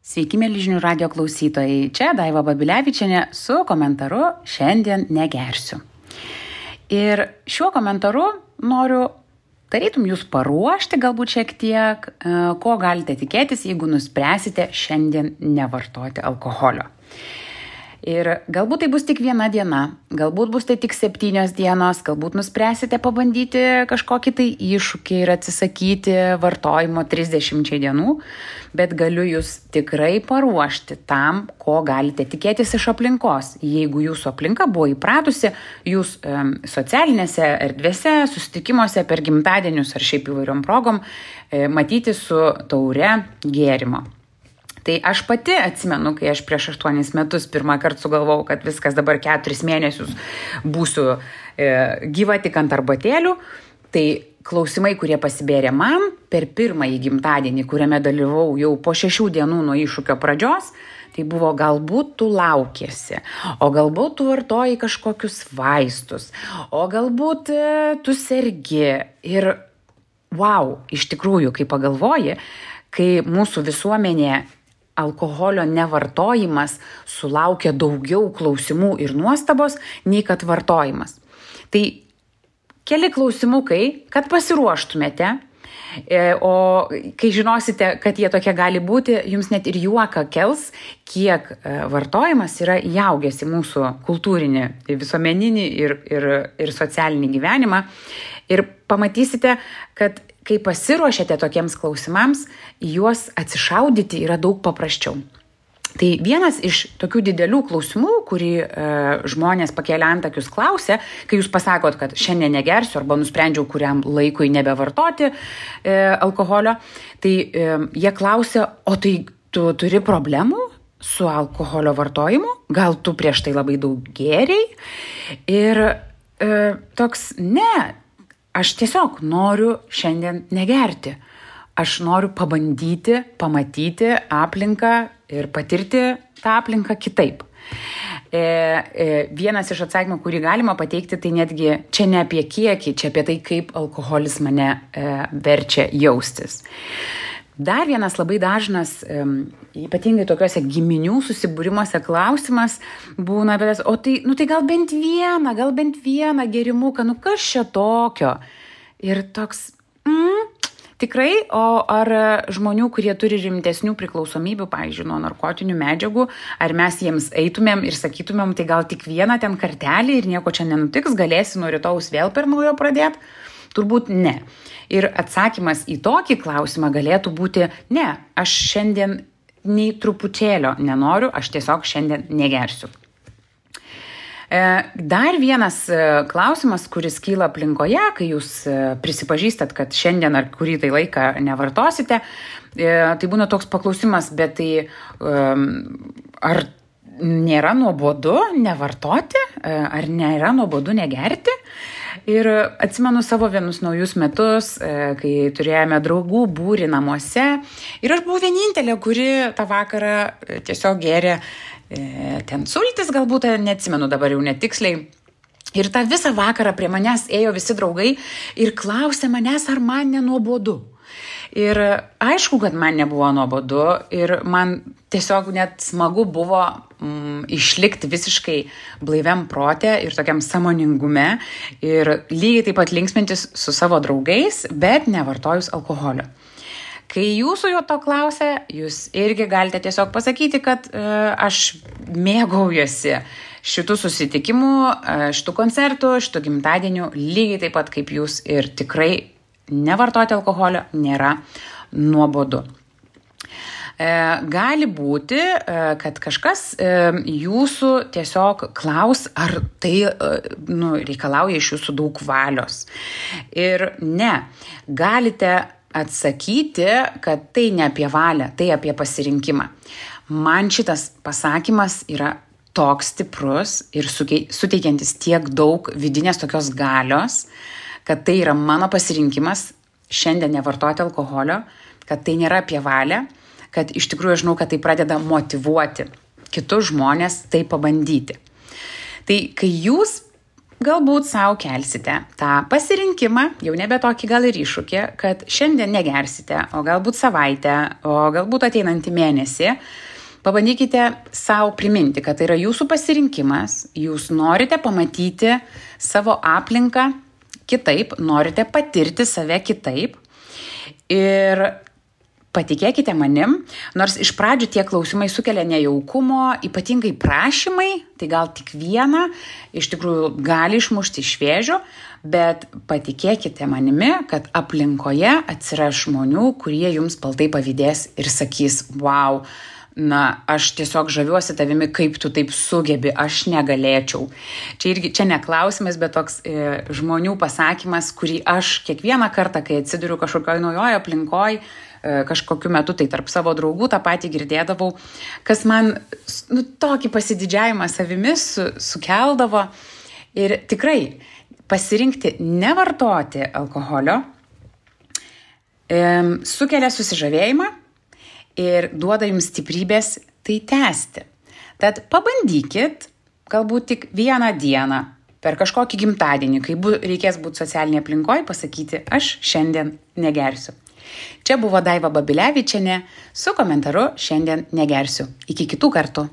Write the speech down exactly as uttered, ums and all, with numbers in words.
Sveiki, mėly žinių radijo klausytojai. Čia Daiva Babilevičienė su komentaru "Šiandien negersiu". Ir šiuo komentaru noriu tarytum jūs paruošti galbūt šiek tiek, ko galite tikėtis, jeigu nuspręsite šiandien nevartoti alkoholio. Ir galbūt tai bus tik viena diena, galbūt bus tai tik septynios dienos, galbūt nuspręsite pabandyti kažkokį tai iššūkį ir atsisakyti vartojimo trisdešimčiai dienų, bet galiu jūs tikrai paruošti tam, ko galite tikėtis iš aplinkos. Jeigu jūsų aplinka buvo įpratusi, jūs e, socialinėse erdvėse, susitikimuose per gimtadienius ar šiaip įvairiom progom e, matyti su taure gėrimo. Tai aš pati atsimenu, kai aš prieš aštuonis metus pirmą kartą sugalvojau, kad viskas dabar keturis mėnesius būsiu e, gyva tik ant arbatėlių, tai klausimai, kurie pasibėrė man per pirmąjį gimtadienį, kuriame dalyvau jau po šešių dienų nuo iššūkio pradžios, tai buvo galbūt tu laukiesi, o galbūt tu vartoji kažkokius vaistus, o galbūt e, tu sergi. Ir wow, iš tikrųjų, kai pagalvoji, kai mūsų visuomenė alkoholio nevartojimas sulaukia daugiau klausimų ir nuostabos, nei kad vartojimas. Tai keli klausimukai, kad pasiruoštumėte, o kai žinosite, kad jie tokie gali būti, jums net ir juoką kels, kiek vartojimas yra įaugęs į mūsų kultūrinį, visuomeninį ir, ir, ir socialinį gyvenimą. Ir pamatysite, kad kai pasiruošiate tokiems klausimams, juos atsišaudyti yra daug paprasčiau. Tai vienas iš tokių didelių klausimų, kurį e, žmonės pakėlę antakius klausia, kai jūs pasakot, kad šiandien negersiu arba nusprendžiau kuriam laikui nebevartoti e, alkoholio, tai e, jie klausia, o tai tu turi problemų su alkoholio vartojimu? Gal tu prieš tai labai daug gėrei? Ir e, toks, ne, aš tiesiog noriu šiandien negerti. Aš noriu pabandyti, pamatyti aplinką ir patirti tą aplinką kitaip. E, e, vienas iš atsakymų, kurį galima pateikti, tai netgi čia ne apie kiekį, čia apie tai, kaip alkoholis mane e, verčia jaustis. Dar vienas labai dažnas, e, ypatingai tokiuose giminių susibūrimuose klausimas būna, bet, o tai, nu tai gal bent vieną, gal bent vieną gėrimuką, nu kas čia tokio? Ir toks, mm, tikrai, o ar žmonių, kurie turi rimtesnių priklausomybių, pavyzdžiui, nuo narkotinių medžiagų, ar mes jiems eitumėm ir sakytumėm, tai gal tik vieną ten kartelį ir nieko čia nenutiks, galėsi nuo rytojaus vėl per naujo pradėti? Turbūt ne. Ir atsakymas į tokį klausimą galėtų būti, ne, aš šiandien nei truputėlio nenoriu, aš tiesiog šiandien negersiu. Dar vienas klausimas, kuris kyla aplinkoje, kai jūs prisipažįstat, kad šiandien ar kurį tai laiką nevartosite, tai būna toks paklausimas, bet tai ar nėra nuobodu nevartoti, ar nėra nuobodu negerti? Ir atsimenu savo vienus naujus metus, kai turėjome draugų būrį namuose ir aš buvau vienintelė, kuri tą vakarą tiesiog gėrė ten sultis, galbūt neatsimenu dabar jau netiksliai. Ir tą visą vakarą prie manęs ėjo visi draugai ir klausė manęs, ar man nenuobodu. Ir aišku, kad man nebuvo nuobodu ir man tiesiog net smagu buvo mm, išlikti visiškai blaiviam prote ir tokiam sąmoningume ir lygiai taip pat linksmintis su savo draugais, bet nevartojus alkoholio. Kai jūsų jo to klausia, jūs irgi galite tiesiog pasakyti, kad e, aš mėgaujuosi šitų susitikimų, e, šitų koncertų, šitų gimtadienių, lygiai taip pat kaip jūs ir tikrai nevartoti alkoholio nėra nuobodu. E, gali būti, e, kad kažkas e, jūsų tiesiog klaus, ar tai e, nu, reikalauja iš jūsų daug valios. Ir ne, galite atsakyti, kad tai ne apie valią, tai apie pasirinkimą. Man šitas pasakymas yra toks stiprus ir suteikiantis tiek daug vidinės tokios galios, kad tai yra mano pasirinkimas šiandien nevartoti alkoholio, kad tai nėra apie valią, kad iš tikrųjų aš žinau, kad tai pradeda motyvuoti kitus žmonės tai pabandyti. Tai kai jūs galbūt savo kelsite tą pasirinkimą, jau nebe tokį gal ir iššūkį, kad šiandien negersite, o galbūt savaitę, o galbūt ateinantį mėnesį. Pabandykite savo priminti, kad tai yra jūsų pasirinkimas, jūs norite pamatyti savo aplinką kitaip, norite patirti save kitaip ir patikėkite manim, nors iš pradžių tie klausimai sukelia nejaukumo, ypatingai prašymai, tai gal tik vieną, iš tikrųjų gali išmušti iš vėžių, bet patikėkite manimi, kad aplinkoje atsiras žmonių, kurie jums baltai pavydės ir sakys, wow, na, aš tiesiog žaviuosi tavimi, kaip tu taip sugebi, aš negalėčiau. Čia irgi, čia ne klausimas, bet toks e, žmonių pasakymas, kurį aš kiekvieną kartą, kai atsiduriu kažkokioje naujoje aplinkoje, kažkokiu metu, tai tarp savo draugų tą patį girdėdavau, kas man nu, tokį pasididžiavimą savimi su, sukeldavo. Ir tikrai pasirinkti nevartoti alkoholio e, sukelia susižavėjimą ir duoda jums stiprybės tai tęsti. Tad pabandykit galbūt tik vieną dieną per kažkokį gimtadienį, kai bu, reikės būti socialinėje aplinkoje, pasakyti, aš šiandien negersiu. Čia buvo Daiva Babilevičienė su komentaru šiandien negersiu. Iki kitų kartų.